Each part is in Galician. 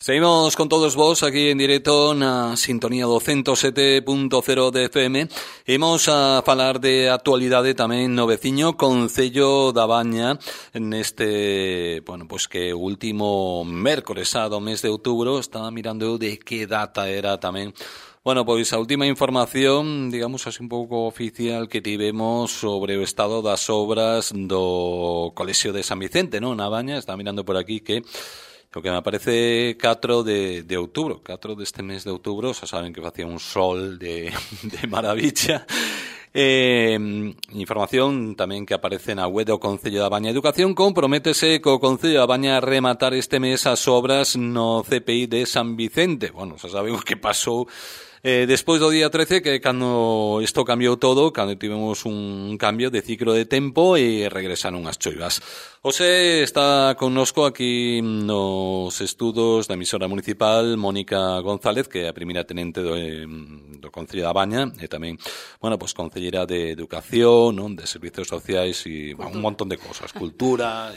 Seguimos con todos vos aquí en directo na sintonía do 107.0 de FM. Imos a falar de actualidade tamén no veciño Concello da Baña neste, pues que o último mércores do mes de outubro. Estaba mirando de que data era tamén. Pois a última información, digamos así un pouco oficial que tivemos sobre o estado das obras do Colexio de San Vicente, non? Na Baña, estaba mirando por aquí que o que me aparece 4 de outubro, 4 deste mes de outubro, xa saben que facía un sol de maravilla. Información tamén que aparece na web do Concello da Baña. Educación comprométese co Concello da Baña a rematar este mes as obras no CPI de San Vicente. Xa saben o que pasou despois do día 13, que cando isto cambiou todo, cando tivemos un cambio de ciclo de tempo e regresaron as choivas. Hoxe está connosco aquí nos estudos da emisora municipal Mónica González, que é a primeira tenente do Concello da Baña e tamén, concelleira de Educación, non, de Servizos Sociais e un montón de cosas, cultura.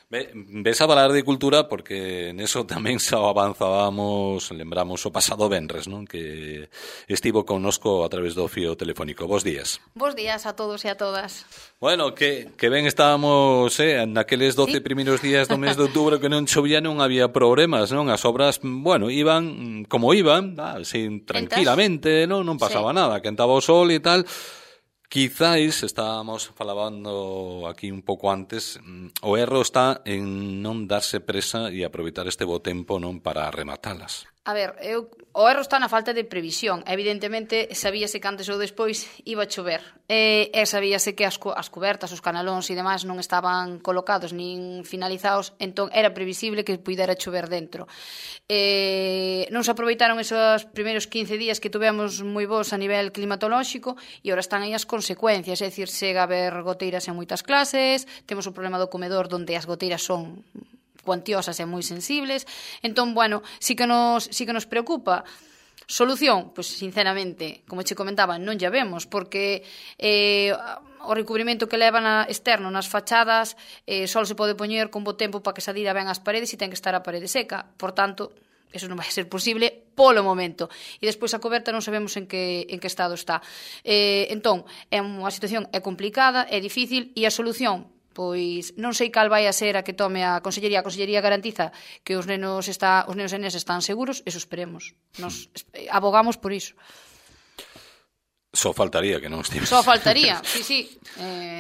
Ves a falar de cultura porque neso tamén xa avanzábamos, lembramos o pasado venres, non? Que estivo connosco a través do fío telefónico. Bos días. Bos días a todos e a todas. Que ben estábamos naqueles 12 primeiros días do mes de outubro que non chovía, non había problemas, non? As obras, iban como iban, así tranquilamente, non pasaba nada, quentaba o sol e tal. Quizáis, estábamos falando aquí un pouco antes, o erro está en non darse presa e aproveitar este bo tempo non para rematalas. A ver, o erro está na falta de previsión. Evidentemente, sabíase que antes ou despois iba a chover. E sabíase que as cubertas, os canalóns e demais non estaban colocados nin finalizados, entón era previsible que pudera chover dentro. Non se aproveitaron esos primeiros 15 días que tuvemos moi bons a nivel climatolóxico e ahora están aí as consecuencias, é dicir, chega a haber goteiras en moitas clases, temos o problema do comedor onde as goteiras son cuantiosas e moi sensibles. Entón, sí que nos preocupa. Solución? Pois, sinceramente, como che comentaba, non lla vemos, porque o recubrimento que levan externo nas fachadas só se pode poñer con bo tempo para que se adira ben as paredes e ten que estar a parede seca. Por tanto, eso non vai ser posible polo momento. E despois a coberta non sabemos en que estado está. Entón, a situación é complicada, é difícil, e a solución? Pois non sei cal vai a ser a que tome a Consellería. A Consellería garantiza que os nenos e nenas están seguros, eso esperemos. Nos abogamos por iso. Só faltaría que non estivese. Só faltaría, sí.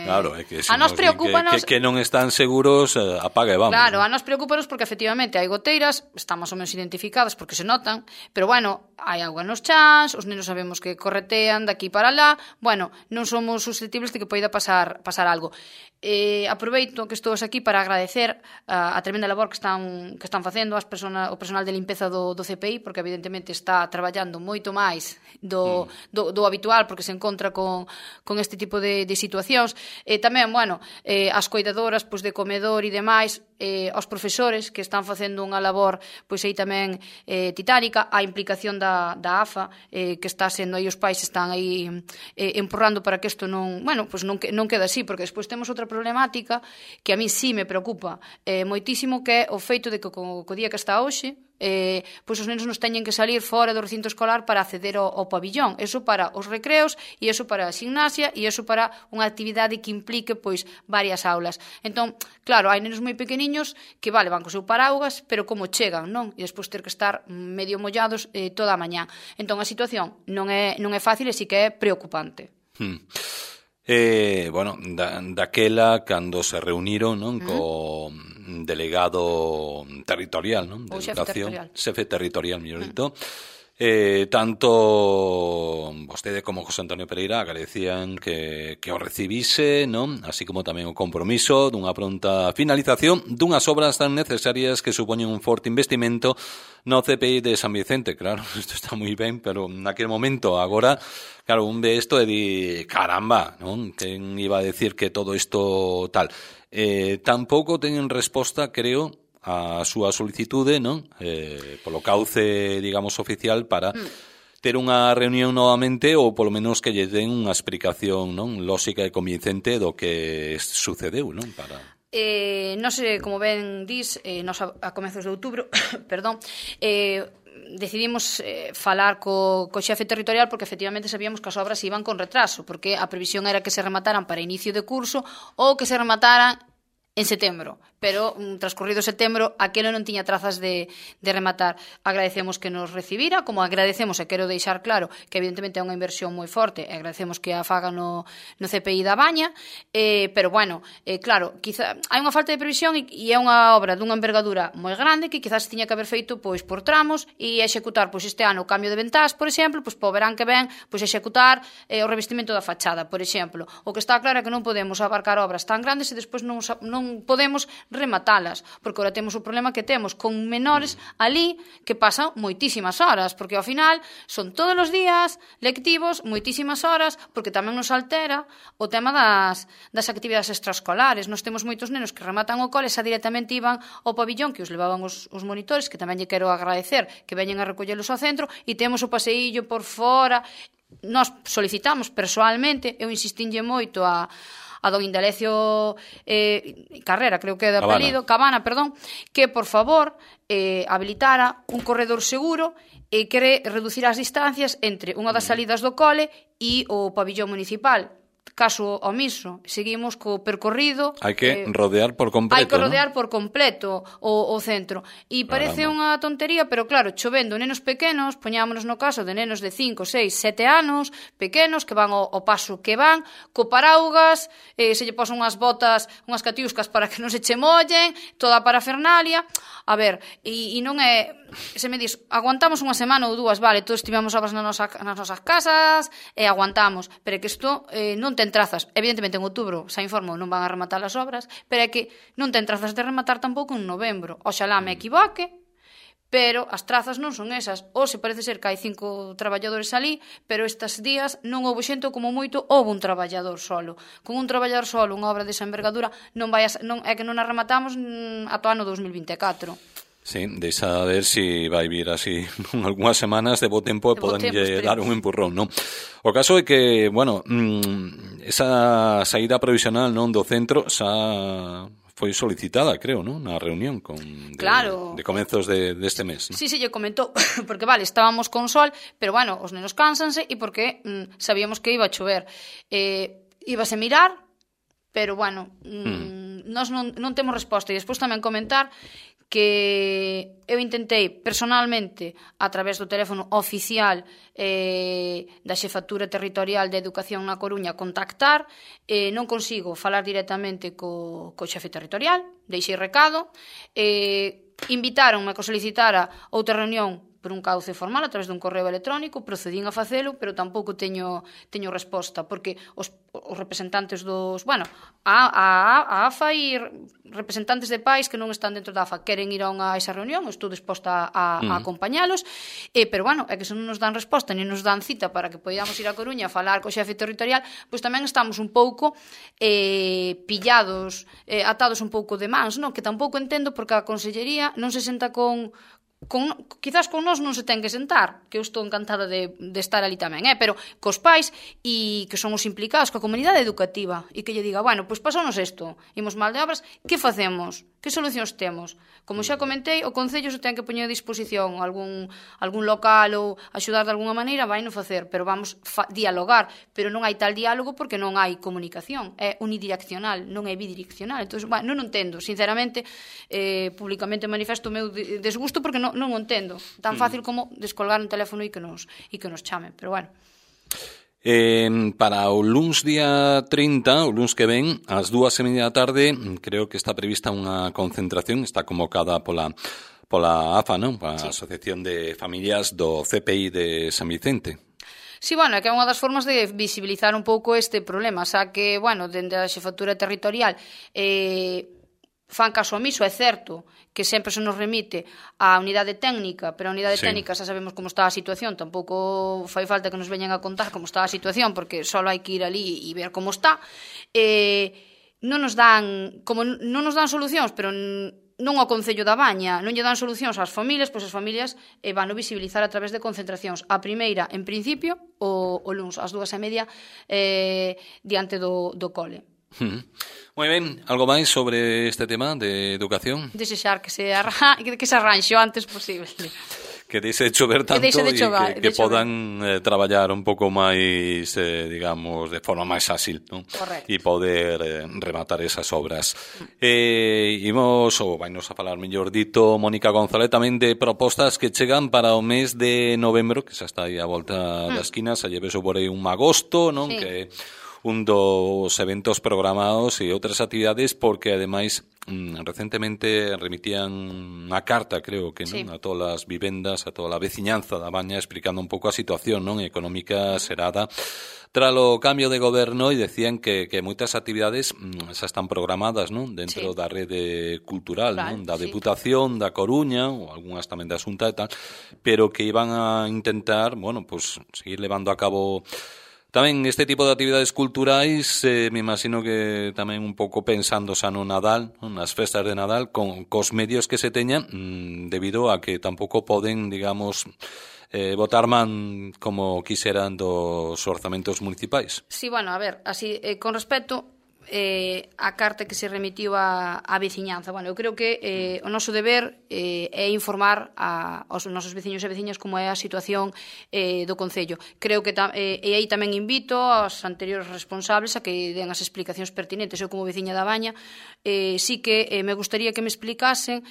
Claro, é que se a nos preocúpanos que non están seguros, apaga e vamos. Claro, a nos preocúpanos porque efectivamente hai goteiras, están máis ou menos identificadas porque se notan, pero hai agua nos chans, os nenos sabemos que corretean daqui para lá, non somos susceptibles de que poida pasar algo. Aproveito que estou aquí para agradecer a tremenda labor que están facendo o personal de limpeza do CPI, porque evidentemente está traballando moito máis do habitual, porque se encontra con este tipo de situacións. Tamén, as coidadoras de comedor e demais, aos profesores que están facendo unha labor aí tamén titánica, a implicación da AFA, que está sendo aí, os pais están aí empurrando para que isto non quede así, porque despois temos outra problemática que a mí sí me preocupa moitísimo, que é o feito de que co día que está hoxe, os nenos nos teñen que salir fora do recinto escolar para acceder ao pabillón. Eso para os recreos, e eso para a gimnasia, e eso para unha actividade que implique varias aulas. Entón, claro, hai nenos moi pequeniños que van co seu paraugas, pero como chegan, non? E despois ter que estar medio mollados toda a mañá. Entón, a situación non é fácil e sí que é preocupante. Daquela, cando se reuniron, non, co delegado territorial, non, de Educación, xefe territorial, mellor dito, tanto vostede como José Antonio Pereira agradecían que o recibise, non? Así como tamén o compromiso dunha pronta finalización dunhas obras tan necesarias que supoñen un forte investimento no CPI de San Vicente. Claro, isto está moi ben, pero naquele momento, agora, claro, un ve isto e di, caramba, non? Quen iba a decir que todo isto tal? Tampouco teñen resposta, creo, a súa solicitude, non? Polo cauce, digamos, oficial para ter unha reunión novamente, ou polo menos que lle den unha explicación, non, lóxica e convincente do que sucedeu, non? Non sei, como ben dis, nos a comezos de outubro, perdón, decidimos falar co xefe territorial porque efectivamente sabíamos que as obras iban con retraso, porque a previsión era que se remataran para inicio de curso ou que se remataran en setembro, pero transcurrido setembro aquelo non tiña trazas de rematar. Agradecemos que nos recibira, como agradecemos, e quero deixar claro que evidentemente é unha inversión moi forte, e agradecemos que a faga no CPI da Baña, pero bueno, claro, quizá hai unha falta de previsión e é unha obra dunha envergadura moi grande que quizás tiña que haber feito pois por tramos e executar pois este ano o cambio de ventás, por exemplo, pois po verán que ven, pois executar o revestimento da fachada, por exemplo. O que está claro é que non podemos abarcar obras tan grandes e despois non podemos rematalas, porque agora temos o problema que temos con menores ali que pasan moitísimas horas, porque ao final son todos os días lectivos, moitísimas horas, porque tamén nos altera o tema das actividades extraescolares. Nós temos moitos nenos que rematan o cole, xa directamente iban ao pabillón que os levaban os monitores, que tamén lle quero agradecer que veñen a recollelos ao centro, e temos o paseillo por fora. Nós solicitamos persoalmente, eu insistinlle moito a don Indalecio Carrera, creo que é de apelido, Cabana, perdón, que por favor habilitara un corredor seguro e que reducir as distancias entre unha das salidas do cole e o pabillón municipal. Caso omiso, seguimos co percorrido. Hai que rodear por completo, hai que rodear, ¿no?, por completo o centro. E parece unha tontería, pero claro, chovendo nenos pequenos, poñámonos no caso de nenos de 5, 6, 7 anos, pequenos, que van ao paso que van, co paraugas, se lle posan unhas botas, unhas catiuscas para que non se che mollen, toda a parafernalia. A ver, e non é... Se me dis, aguantamos unha semana ou dúas, vale, todos tivemos obras nas nosas casas e aguantamos, pero é que isto non ten trazas. Evidentemente en outubro, xa informo, non van a rematar as obras, pero é que non ten trazas de rematar tampouco en novembro. Oxalá me equivoque, pero as trazas non son esas. Hoxe parece ser que hai 5 traballadores ali, pero estes días non houve xente, como moito houve un traballador solo. Con un traballador solo, unha obra desa envergadura, é que non a rematamos ata o ano 2024. Sí, deixa ver si vai vir así algunhas semanas de bo tempo e podanlle dar un empurrón, non? O caso é que, bueno, esa saída provisional, non, do centro xa foi solicitada, creo, non? Na reunión de comezos deste mes, non? Sí, lle comentou, porque vale, estábamos con sol, pero bueno, os nenos cánsanse e porque sabíamos que iba a chover. Íbase mirar, pero bueno, nós non temos resposta. E despois tamén comentar que eu intentei personalmente a través do teléfono oficial da Xefatura Territorial de Educación na Coruña contactar, non consigo falar directamente co xefe territorial, deixei recado, invitáronme a que solicitara outra reunión por un cauce formal a través dun correo electrónico, procedín a facelo, pero tampouco teño resposta, porque os representantes dos, bueno, a AFA e representantes de pais que non están dentro da AFA queren ir a esa reunión, estou disposta a acompañalos, pero bueno, é que se non nos dan resposta, nem nos dan cita para que podamos ir a Coruña a falar co xefe territorial, pois tamén estamos un pouco pillados, atados un pouco de mans, non? Que tampouco entendo porque a Consellería non se senta quizás con nós non se ten que sentar, que eu estou encantada de estar ali tamén, pero cos pais e que son os implicados, coa comunidade educativa, e que lle diga, bueno, pois pasounos isto, imos mal de obras, que facemos? Que solucións temos? Como xa comentei, o Concello se ten que poñer a disposición algún local ou axudar de alguna maneira, vai non facer, pero vamos dialogar, pero non hai tal diálogo porque non hai comunicación, é unidireccional, non é bidireccional. Entón, bueno, non entendo, sinceramente, públicamente manifesto o meu desgusto porque non o entendo. Tan fácil como descolgar un teléfono e que nos chamen, pero bueno. Para o luns día 30, o luns que ven, ás 2:30 da tarde, creo que está prevista unha concentración, está convocada pola AFA, non? Pola Asociación de Familias do CPI de San Vicente. Sí, bueno, é que é unha das formas de visibilizar un pouco este problema, xa que, bueno, dende a Xefatura Territorial fan caso omiso, é certo que sempre se nos remite á unidade técnica, pero a unidade técnica xa sabemos como está a situación, tampouco fai falta que nos veñan a contar como está a situación, porque só hai que ir ali e ver como está. Non nos dan solucións, pero non ao Concello da Baña, non lle dan solucións ás familias, pois as familias van a visibilizar a través de concentracións. A primeira, en principio, o luns, ás 2:30, diante do cole. Moi ben, algo máis sobre este tema de educación? Desexar que se arranxe o antes posible. Que deixe de chover tanto e que podan traballar un pouco máis, digamos, de forma máis áxil, non? Correcto. E poder rematar esas obras. Imos, ou vainos a falar mellor dito, Mónica González, tamén de propostas que chegan para o mes de novembro, que xa está aí a volta da esquina, xa lleve por aí un agosto, non? Sí. Que un dos eventos programados e outras actividades, porque ademais recentemente remitían unha carta, creo que, non, a todas as vivendas, a toda a veciñanza da Baña, explicando un pouco a situación, non, económica xerada tralo cambio de goberno, e decían que moitas actividades xa están programadas, non, dentro da rede cultural, non, da Deputación da Coruña, ou algunhas tamén da Xunta e tal, pero que iban a intentar, bueno, pues seguir levando a cabo tamén este tipo de actividades culturais, me imagino que tamén un pouco pensando xa no Nadal, nas festas de Nadal, cos medios que se teñan, debido a que tampouco poden, digamos, botar man como quixeran dos orzamentos municipais. Sí, bueno, a ver, así, con respecto a carta que se remitiu á veciñanza. Bueno, eu creo que o noso deber é informar aos nosos veciños e veciñas como é a situación do Concello. Creo que e aí tamén invito aos anteriores responsables a que den as explicacións pertinentes. Eu como veciña da Baña sí que me gustaría que me explicasen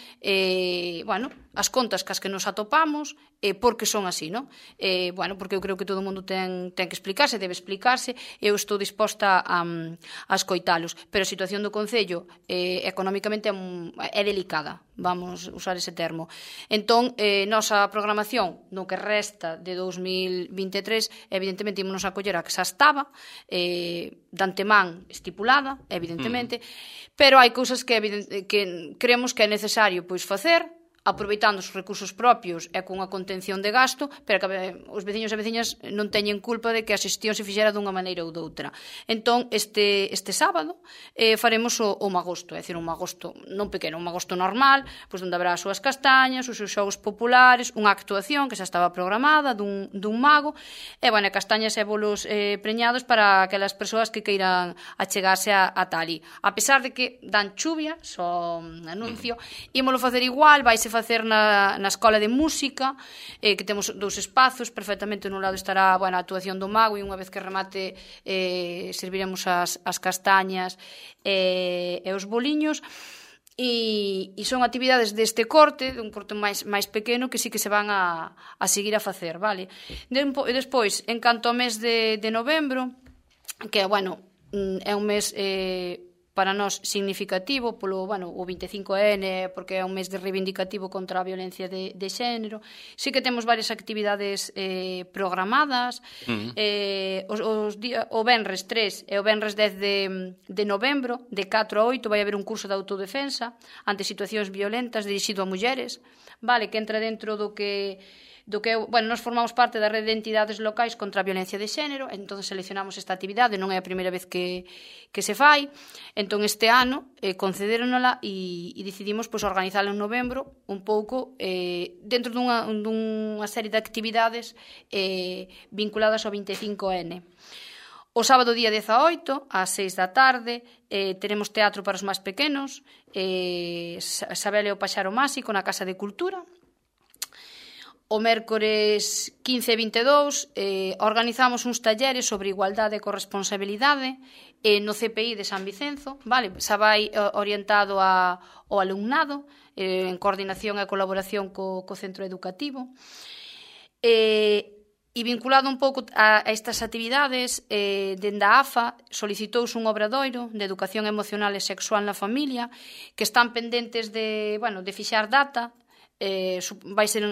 bueno, as contas cas que nos atopamos por que son así, non? Bueno, porque eu creo que todo o mundo ten que explicarse, debe explicarse, eu estou disposta a escoitalos, pero a situación do Concello económicamente é delicada, vamos usar ese termo. Entón, nosa programación no que resta de 2023, evidentemente ímonos a coller a que xa estaba, de antemán estipulada, evidentemente, pero hai cousas que creemos que é necesario pois facer, aproveitando os recursos propios e cunha contención de gasto, pero que os veciños e veciñas non teñen culpa de que a xestión se fixera dunha maneira ou doutra. Entón, este sábado faremos o magosto, é dicir, un magosto non pequeno, un magosto normal, pois onde habrá as súas castañas, os seus xogos populares, unha actuación que xa estaba programada dun mago, e, bueno, castañas e bolos preñados para aquelas persoas que queiran achegarse a tali. A pesar de que dan chuvia, só anuncio, ímolo facer igual, vaise facer na Escola de Música, que temos dous espazos, perfectamente nun lado estará, bueno, a actuación do mago, e unha vez que remate serviremos as castañas e os boliños, e son actividades deste corte, dun corte máis pequeno, que sí que se van a seguir a facer, vale? Despois, en canto ao mes de novembro, que, bueno, é un mes para nós significativo polo, bueno, o 25N, porque é un mes de reivindicativo contra a violencia de xénero. Sí que temos varias actividades programadas. O venres 3 e o venres 10 de novembro, de 4 a 8, vai haber un curso de autodefensa ante situacións violentas dirixido a mulleres, vale, que entra dentro do que bueno, nos formamos parte da rede de entidades locais contra a violencia de xénero, entón seleccionamos esta actividade, non é a primeira vez que se fai, entón este ano concedéronola e decidimos pois organizala en novembro un pouco dentro dunha serie de actividades vinculadas ao 25N. O sábado día 18, ás 6 da tarde, teremos teatro para os máis pequenos, Sabel e o Paxaro Máxico na Casa de Cultura. O mércores 15 e 22 organizamos uns talleres sobre igualdade e corresponsabilidade no CPI de San Vicenzo, vale? Xa vai orientado ao alumnado en coordinación e colaboración co centro educativo. E vinculado un pouco a estas actividades, dende a AFA solicitouse un obradoiro de educación emocional e sexual na familia, que están pendentes de fixar data. Vai ser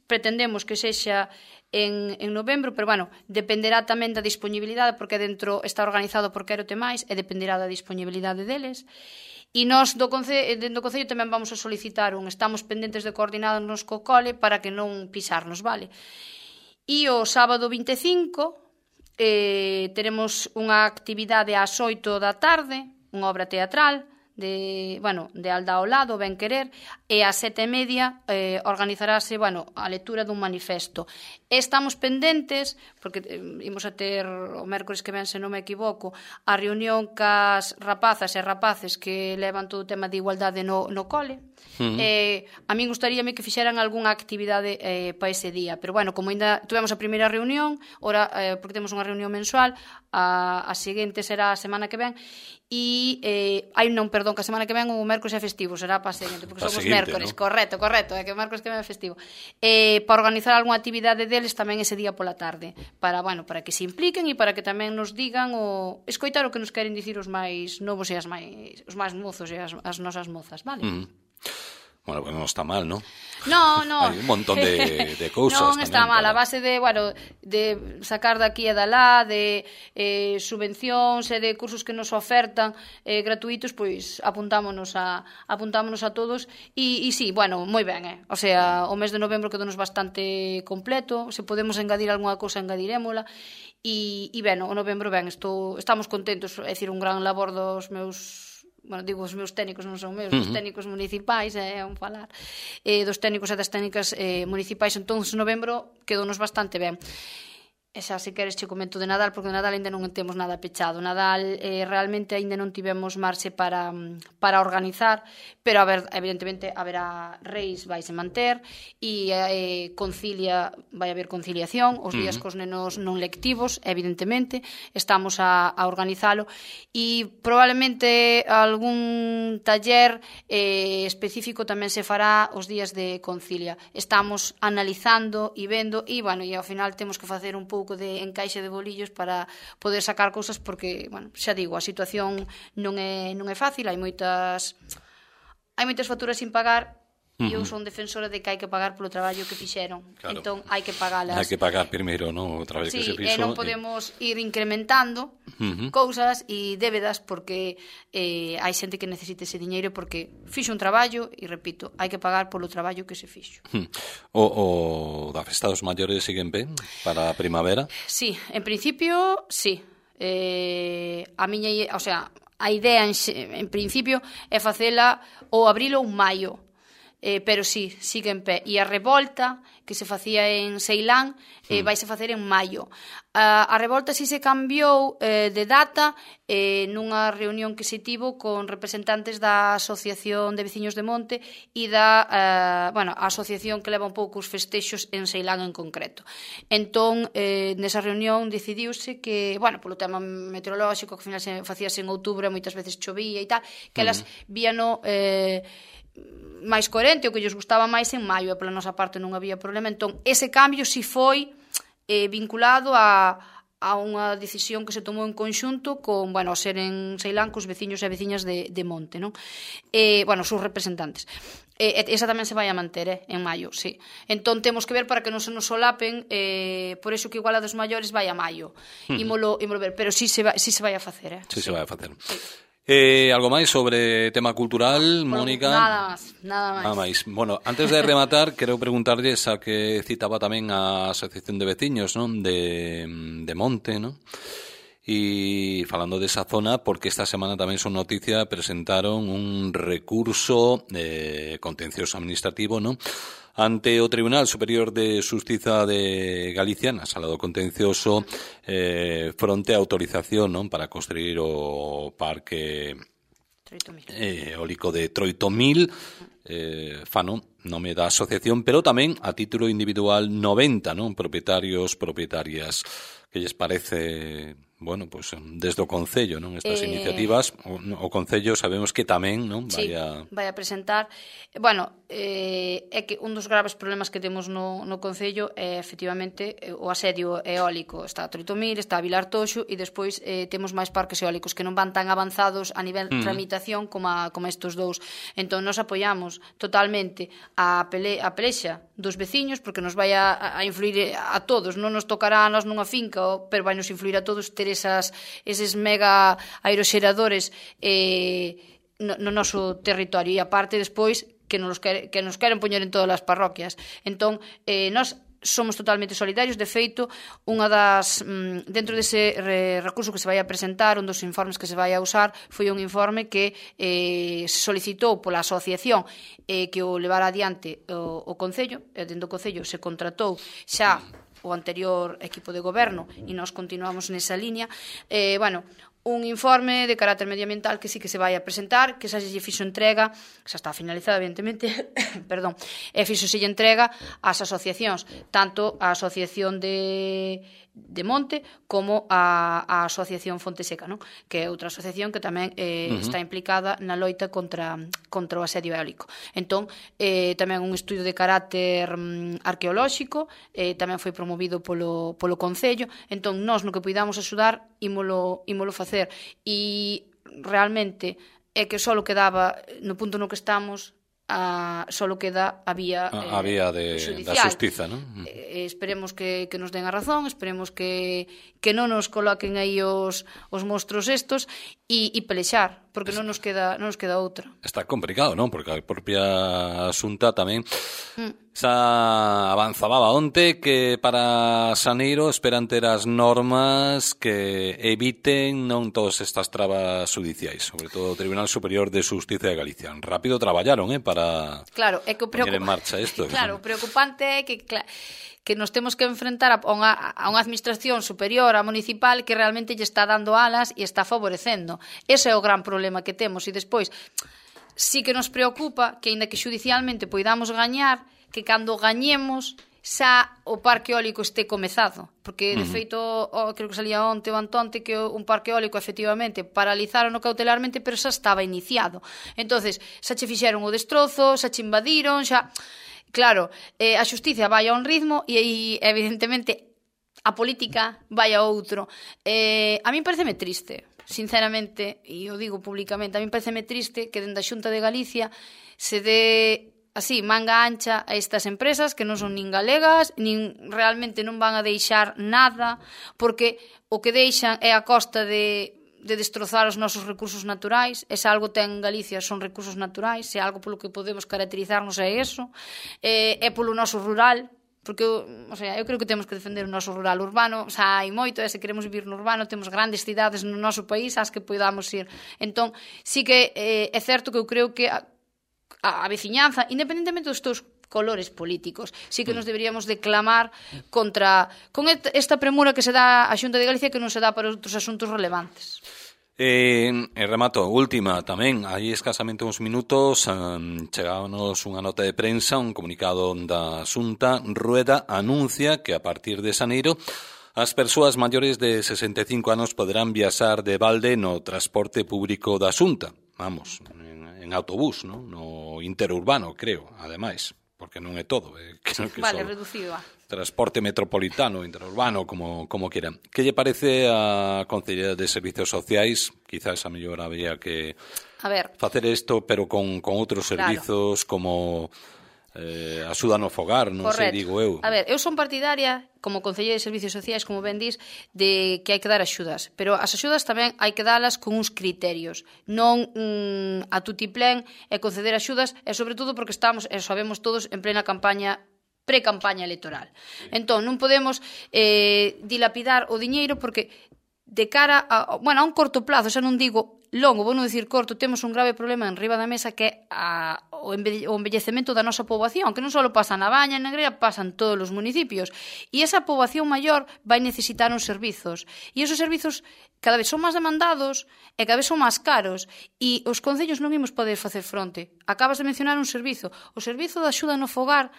pretendemos que sexa en novembro, pero bueno, dependerá tamén da disponibilidade, porque dentro está organizado por Quérote Máis e dependerá da disponibilidade deles. E nós dentro do Concello tamén vamos a solicitar estamos pendentes de coordinarnos co cole para que non pisarnos, vale? E o sábado 25 teremos unha actividade ás 8 da tarde, unha obra teatral de Aldao Lado, Ben Querer, e ás 7:30 organizarase, a lectura dun manifesto. Estamos pendentes, porque imos a ter o mércores que ven, se non me equivoco, a reunión cas rapazas e rapaces que levan todo o tema de igualdade no cole. A min gustaríame que fixeran algunha actividade para ese día, pero como ainda tivemos a primeira reunión, ora, porque temos unha reunión mensual, a seguinte será a semana que ven, e que a semana que ven o mércores é festivo, será para a seguinte, porque somos mércores, ¿no? Correcto, é que o mércores que ven é festivo. Para organizar algunha actividade deles tamén ese día pola tarde, para que se impliquen e para que tamén nos digan escoitar o que nos queren dicir os máis novos e os máis mozos e as nosas mozas, vale? Bueno, non está mal, ¿no? No. Hai un montón de cousas. Non está mal, a base de sacar daqui e dalá, de subvencións e de cursos que nos ofertan gratuitos, pois apuntámonos a todos e sí, moi ben, o sea, o mes de novembro quedounos bastante completo, se podemos engadir algunha cousa engadirémola e o novembro estamos contentos, é dicir, un gran labor dos meus digo os meus técnicos, non son meus, os técnicos municipais, falar, dos técnicos e das técnicas municipais. Entón, novembro quedounos bastante ben. E xa, se queres, che comento de Nadal, porque de Nadal ainda non temos nada pechado. Nadal realmente ainda non tivemos marxe para organizar, pero evidentemente haberá reis, vaise manter, e vai haber conciliación, os días cos nenos non lectivos, evidentemente, estamos a organizalo, e probablemente algún taller específico tamén se fará os días de concilia. Estamos analizando e vendo, e ao final temos que facer un pouco de encaixe de bolillos para poder sacar cousas, porque, xa digo, a situación non é fácil, hai moitas facturas sin pagar, e eu son defensora de que hai que pagar polo traballo que fixeron. Claro. Entón, hai que pagalas. Hai que pagar primeiro, non, o traballo que se fixo. Non podemos ir incrementando cousas e débedas, porque hai xente que necesita ese diñeiro porque fixo un traballo e, repito, hai que pagar polo traballo que se fixo. O da festa dos maiores sigue en pé para a primavera? Sí, en principio, sí. A idea en principio é facela ou abril ou maio. Pero sí, sigue en pé. E a revolta que se facía en Ceilán vaise facer en maio. A revolta si se cambiou de data nunha reunión que se tivo con representantes da Asociación de Veciños de Monte e da a asociación que leva un pouco os festexos en Ceilán en concreto. Entón, nesa reunión decidiuse que, polo tema meteorolóxico, que ao final se facíase en outubro e moitas veces chovía e tal, que elas víano máis coherente, o que lles gustaba máis en maio, e pola nosa parte non había problema. Entón, ese cambio si foi vinculado a unha decisión que se tomou en conxunto con, ao ser en Ceilán, cos veciños e veciñas de Monte, non? Os seus representantes. Esa tamén se vai a manter, en maio, sí. Entón, temos que ver para que non se nos solapen, por iso que igual a dos maiores vai a maio. Ímolo ver, pero sí se vai a facer, Sí, se vai a facer. Algo máis sobre tema cultural, Mónica? Nada máis. Bueno, antes de rematar, quero preguntarlle, xa que citaba tamén a Asociación de Veciños, non? De Monte, non? E falando desa zona, porque esta semana tamén son noticia, presentaron un recurso contencioso administrativo, non? Ante o Tribunal Superior de Xustiza de Galicia, na sala do contencioso, fronte a autorización, non, para construir o parque eólico de Troitomil, nome da asociación, pero tamén a título individual 90, non, propietarias. Que lles parece, desde o Concello, non, estas iniciativas? O Concello sabemos que tamén, non, vai a presentar. É que un dos graves problemas que temos no Concello é efectivamente o asedio eólico. Está a Troitomil, está a Vilar Toxo, e despois temos máis parques eólicos que non van tan avanzados a nivel tramitación como estes dous. Entón, nos apoiamos totalmente a pelexa dos veciños, porque nos vai a influir a todos. Non nos tocará a nós nunha finca, pero vai nos influir a todos ter eses mega aeroxeradores no noso territorio, e aparte despois que nos queren poñer en todas as parroquias. Entón, nos somos totalmente solidarios. De feito, unha das dentro dese recurso que se vai a presentar, un dos informes que se vai a usar foi un informe que se solicitou pola asociación que o levara adiante o Concello, e dentro do Concello se contratou xa o anterior equipo de goberno e nós continuamos nesa liña. Un informe de carácter medioambiental que sí que se vai a presentar, que xa se lle fixo entrega, xa está finalizada, evidentemente, perdón, e fixoselle entrega ás asociacións, tanto a Asociación de Monte como a Asociación Fonte Seca, non? Que é outra asociación que tamén está implicada na loita contra o asedio eólico. Entón, tamén un estudo de carácter arqueolóxico, tamén foi promovido polo Concello. Entón, nós no que poidamos axudar, ímolo facer. E realmente é que só quedaba, no punto no que estamos, só queda a vía da xustiza, non? Esperemos que nos den a razón, esperemos que non nos coloquen aí os monstruos estos e pelexar, porque non nos queda outra. Está complicado, non? Porque a propia Xunta tamén xa avanzaba onte que para xaneiro esperan ter as normas que eviten non todas estas trabas judiciais, sobre todo o Tribunal Superior de Xustiza de Galicia. Rápido traballaron, para poñer en marcha isto. Claro, o preocupante é que nos temos que enfrentar a unha administración superior, a municipal, que realmente lle está dando alas e está favorecendo. Ese é o gran problema que temos. E despois, sí que nos preocupa que, aínda que xudicialmente poidamos gañar, que cando gañemos xa o parque eólico este comezado, porque de feito creo que salía onte ou antonte que un parque eólico efectivamente paralizaron cautelarmente, pero xa estaba iniciado. Entonces, xa che fixeron o destrozo, xa che invadiron, xa... Claro, a xustiza vai a un ritmo e aí evidentemente a política vai a outro. A min pareceme triste, sinceramente, e o digo públicamente, a min pareceme triste que dende a Xunta de Galicia se dé así, manga ancha a estas empresas que non son nin galegas, nin realmente non van a deixar nada, porque o que deixan é a costa de destrozar os nosos recursos naturais. E se algo ten Galicia son recursos naturais, se algo polo que podemos caracterizarnos é eso, é polo noso rural, porque eu creo que temos que defender o noso rural. Urbano, hai moito, e se queremos vivir no urbano, temos grandes cidades no noso país ás que podamos ir. Entón, sí que é certo que eu creo que a veciñanza, independentemente dos teus colores políticos, sí que nos deberíamos declamar con esta premura que se dá a Xunta de Galicia que non se dá para outros asuntos relevantes. Remato, última tamén, hai escasamente uns minutos chegábanos unha nota de prensa, un comunicado da Xunta. Rueda anuncia que a partir de xaneiro as persoas maiores de 65 anos poderán viaxar de balde no transporte público da Xunta, vamos, en autobús, ¿no? No interurbano, creo, ademais, porque non é todo, vale, reducido transporte metropolitano, interurbano, como quieran. Que lle parece a Consellería de Servicios Sociais? Quizás a mellor había que facer isto, pero con outros servizos, como axuda no fogar, non sei, digo eu. Eu son partidaria, como Concelleira de Servicios Sociais, como ben dis, de que hai que dar axudas, pero as axudas tamén hai que dalas con uns criterios, non a tutiplén e conceder axudas, e sobre todo porque estamos, e sabemos todos, en plena pre-campaña electoral. Entón, non podemos dilapidar o diñeiro, porque de cara a un corto plazo, xa non digo longo, vou non dicir corto, temos un grave problema en riba da mesa, que é o envellecemento da nosa poboación, que non só pasa na Baña, en Negreira, pasa en todos os municipios. E esa poboación maior vai necesitar uns servizos. E esos servizos cada vez son máis demandados e cada vez son máis caros. E os concellos non imos poder facer fronte. Acabas de mencionar un servizo. O servizo de axuda no fogar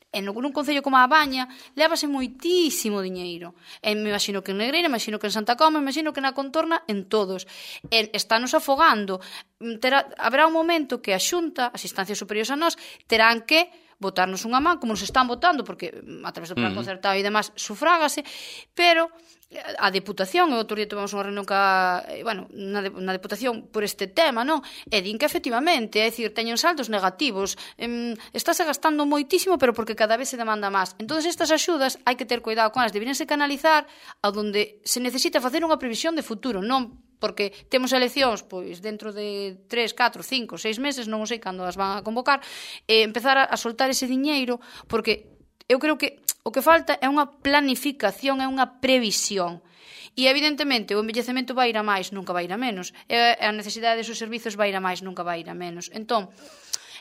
en un concello como a Baña lévase moitísimo diñeiro. E me imagino que en Negreira, me imagino que en Santa Coma, me imagino que na contorna, en todos. Estános afogando. Haberá un momento que a Xunta, as instancias superiores a nós, terán que botarnos unha man, como nos están botando, porque a través do plan concertado e demás sufrágase, pero a Deputación, e outro día tivemos unha reunión na Deputación por este tema, non? E din que efectivamente, é dicir, teñen saldos negativos, estáse gastando moitísimo, pero porque cada vez se demanda máis. Entón, estas axudas hai que ter cuidado con elas, deberíanse canalizar a donde se necesita facer unha previsión de futuro, non porque temos eleccións pois dentro de 3, 4, 5, 6 meses, non sei cando as van a convocar, empezar a soltar ese diñeiro, porque eu creo que O que falta é unha planificación, é unha previsión. E, evidentemente, o envellecemento vai ir a máis, nunca vai ir a menos. E a necesidade dos servizos vai ir a máis, nunca vai ir a menos. Entón,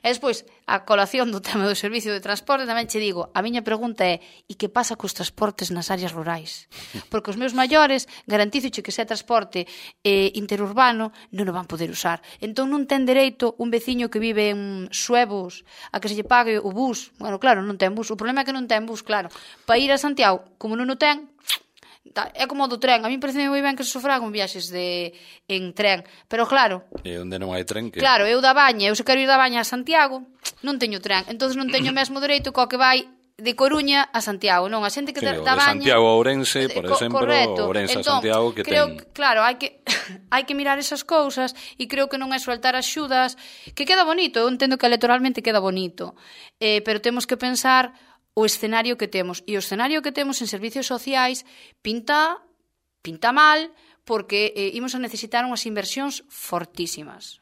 e despois, a colación do tema do servicio de transporte, tamén che digo, a miña pregunta é, e que pasa cos transportes nas áreas rurais? Porque os meus maiores, garantízoche que se é transporte interurbano, non o van poder usar. Entón non ten dereito un veciño que vive en Suevos a que se lle pague o bus. Bueno, claro, non ten bus. O problema é que non ten bus, claro. Para ir a Santiago, como non o ten, é como o do tren. A mí parece moi ben que se sufragan viaxes en tren, pero claro, e onde non hai tren que... Claro, eu da Baña, eu se quero ir da Baña a Santiago, non teño tren, entonces non teño o mesmo dereito co que vai de Coruña a Santiago, non, a xente que da Baña... de Santiago a Ourense, por exemplo, correcto. Ourense entón, a Santiago, que creo, ten... Claro, hai que mirar esas cousas e creo que non é soltar axudas, que queda bonito, eu entendo que electoralmente queda bonito, pero temos que pensar o escenario que temos. E o escenario que temos en servicios sociais pinta mal, porque imos a necesitar unhas inversións fortísimas,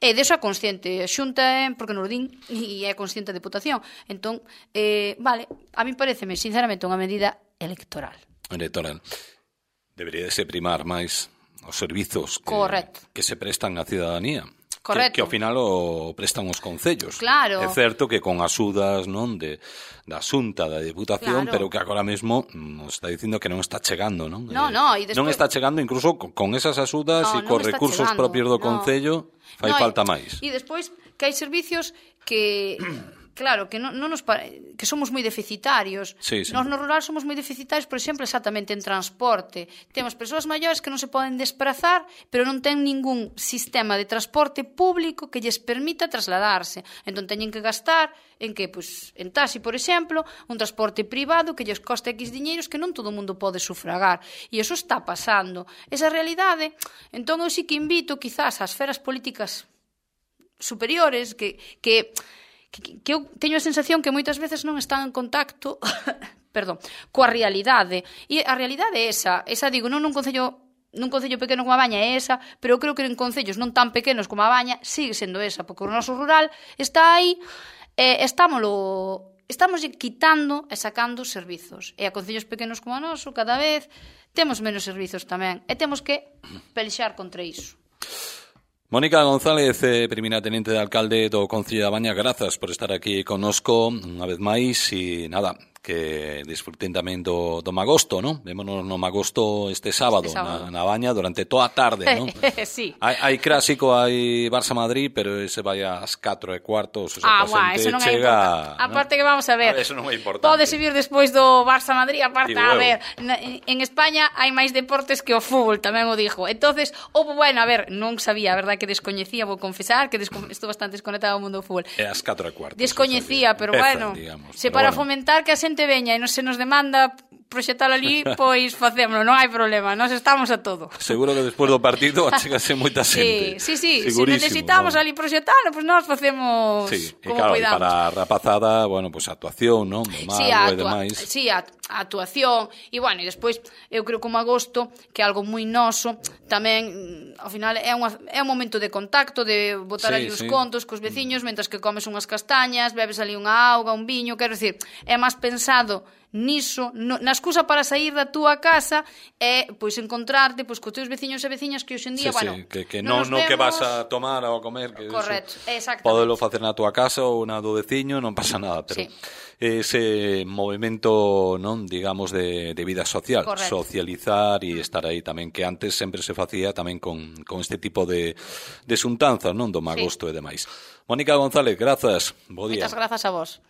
e deso é consciente a Xunta, porque non o din, e é consciente a Deputación. Entón, vale, a mí pareceme, sinceramente, unha medida electoral. Debería de se primar máis os servizos que se prestan á cidadanía. Correcto. Que ao final o prestan os concellos. Claro. É certo que con axudas non da Xunta, da Deputación, claro, pero que agora mesmo nos está dicindo que non está chegando, non? Despois... Non está chegando incluso con esas axudas e cos recursos propios do concello fai falta máis. E despois que hai servicios que... Claro, que que somos moi deficitarios. Sí. Nós no rural somos moi deficitarios, por exemplo, exactamente en transporte. Temos persoas maiores que non se poden desplazar, pero non ten ningún sistema de transporte público que lles permita trasladarse. Entón teñen que gastar en que, en taxi, por exemplo, un transporte privado que lles coste X diñeiros que non todo o mundo pode sufragar. E iso está pasando. Esa realidade, entón eu sí que invito quizás ás esferas políticas superiores que eu teño a sensación que moitas veces non están en contacto coa realidade. E a realidade é esa digo, non nun concello pequeno como a Baña é esa, pero eu creo que en concellos non tan pequenos como a Baña sigue sendo esa, porque o noso rural está aí, estamos quitando e sacando servizos. E a concellos pequenos como a noso, cada vez temos menos servizos tamén, e temos que pelexar contra iso. Mónica González, primeira tenente de alcalde do Concello da Baña, grazas por estar aquí connosco unha vez máis e nada, que disfruten tamén do Magosto, non? Vémonos no Magosto este sábado. Na Baña durante toda a tarde, non? Sí. Hai clásico, hai Barça-Madrid, pero ese vai ás 4:15, o sea, eso non chega... é importante. Aparte que vamos a ver, eso non é importante. Pode vir despois do Barça-Madrid, aparte, a ver, en España hai máis deportes que o fútbol, tamén o dixo. Entonces, a ver, non sabía, a verdade que descoñecía, vou confesar, que estou bastante desconectado ao mundo do fútbol. É ás 4:15. Descoñecía, pero se para fomentar que a xente veña e non se nos demanda proxectar ali, pois facémolo, non hai problema, nós estamos a todo. Seguro que despois do partido achegase moita xente. Sí, se necesitamos ali proxectalo, pois nós facemos como cuidamos. Para a rapazada, pois a actuación, non? A actuación, e despois eu creo que o Magosto, que é algo moi noso, tamén, ao final, é un momento de contacto, de botar ali os contos cos veciños, mentras que comes unhas castañas, bebes ali unha auga, un viño, quero dicir, é máis pensado niso, na excusa para sair da túa casa é, encontrarte cos teus veciños e veciñas que hoxe en día, que non que vas a tomar ou a comer, que correcto, exactamente. Podelo facer na túa casa ou na do veciño, non pasa nada, pero ese movimento, non, digamos, de vida social, correcto, socializar e estar aí tamén, que antes sempre se facía tamén con este tipo de xuntanzas, non, do Magosto e demais. Mónica González, grazas, bo día. Moitas grazas a vos.